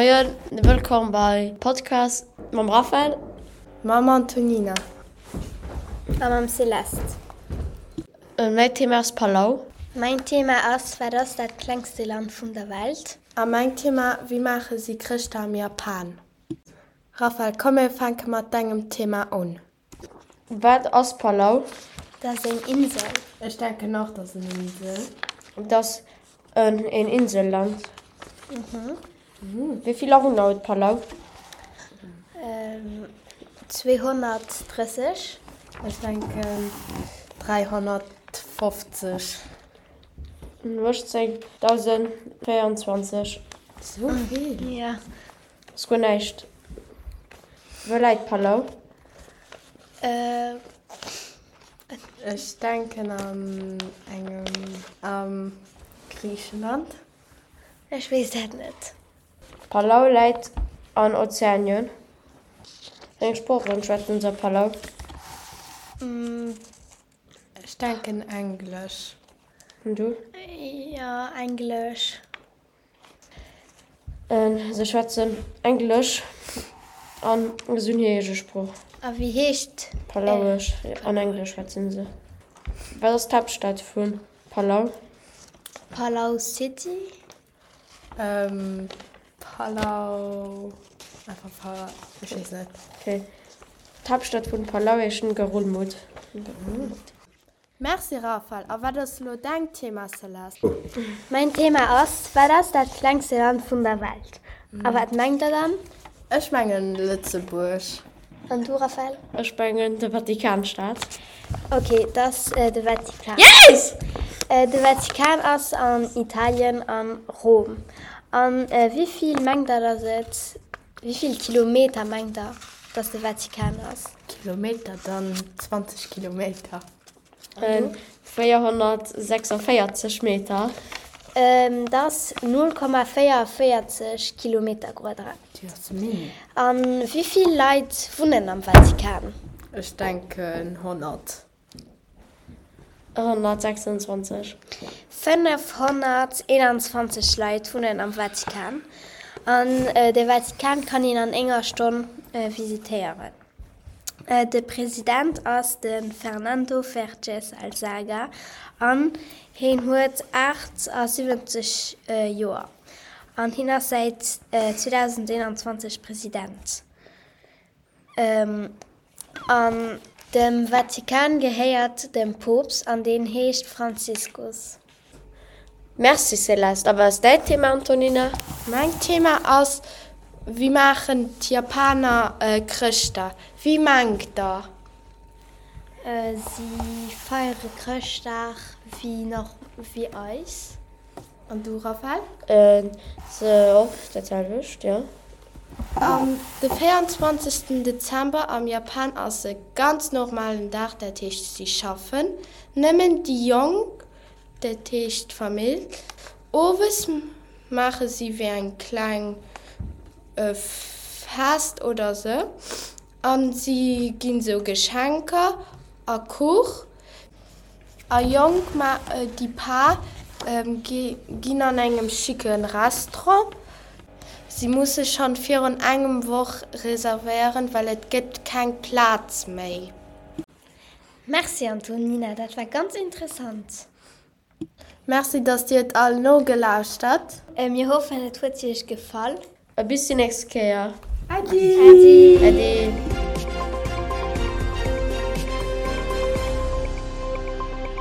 Moien, wëllkomm bei Podcast mam Raphael. Mam Antonina. A mam Céleste. Mäin Thema ass Palau. Mäin Thema ass, Wat ass dat klengste Land vun der Welt? A mäin Thema, Wéi maache si Chrëschtdag am Japan? Raphael, komm mir fänke mat dengem Thema un. Wat ass Palau? Dat ass eng Insel. Ech denken och, dat ass en Insel. Dat ass en Inselland. Wéi vill Awunner huet Palau? 230. Ech denken 350. 18.024. Sou vill? Jo. Ass guer näischt. Wou läit Palau? Ech denken an engem am Griichenland. Ech weess dat net. Palau läit an Ozeanien. Wéi eng Sproochen schwätzen se a Palau? Ech denken Englesch. An du? Jo, Englesch. Se schwätzen Englesch an se hunn hir eege Sprooch. A wéi heescht. Palauesch an Englesch schwätzen se. Wat ass d'Haaptstad vu Palau? Palau City? Palau, einfach Palau, ech weess net. Okay. D'Haaptstad vun Palau heescht Ngerulmud. Merci Raphael, a wat ass elo däin Thema Celeste? Mäin Thema ass, Wat ass dat klengste Land vun der Welt? A wat mengt der dann? Ech mengen Lëtzebuerg. An du Raphael? Ech mengen de Vatikanstaat. Ok, et ass de Vatikan. Yes! De Vatikan ass an Italien an Rom. An wéi vill mengt der dass et, wéi vill Kilometer mengt der dass de Vatikan ass? Kilometer, dann 20 Kilometer. 446 Meter. Dat ass 0,44 Kilometerquadrat. Déi ass mini. A wéi vill Leit wunnen am Vatikan? Ech denken 100. 126. 521 Leit wunnen am Vatikan. An de Vatikan kann een an enger Stonn visitéieren. De President ass de Fernando Vergés Alzaga an hien huet 78 Joer an hien ass säit 2021 President. An dem Vatikan gehéiert dem Poopst an deen heescht Franziskus. Merci Céleste. A wat ass däin Thema Antonina? Mäin Thema ass, Wéi maachen d'Japaner Chrëschtdag? Wéi mengt der? Si feiere Chrëschtdag wéi eis. An du Raphael? Se och dat selwecht, jo. An de 24. Dezember am Japan ass e ganz normalen Dag, dat heescht si schaffen nëmmen déi Jonk, dat heescht d'Famill. Owes maache si wéi eng kleng Fest oder sou an si ginn sou Geschenker a Kuch. A Jonk, ma déi Par ginn an engem schicke Restaurant. Si musse schonn virun engem Woch reservéieren, well et gëtt keng Plaz méi. Merci Antonina, dat war ganz interessant. Merci dass dir et all nogelauschtert. Mir hoffen et huet iech gefall. A bis déi nächst Kéier. Äddi! Äddi!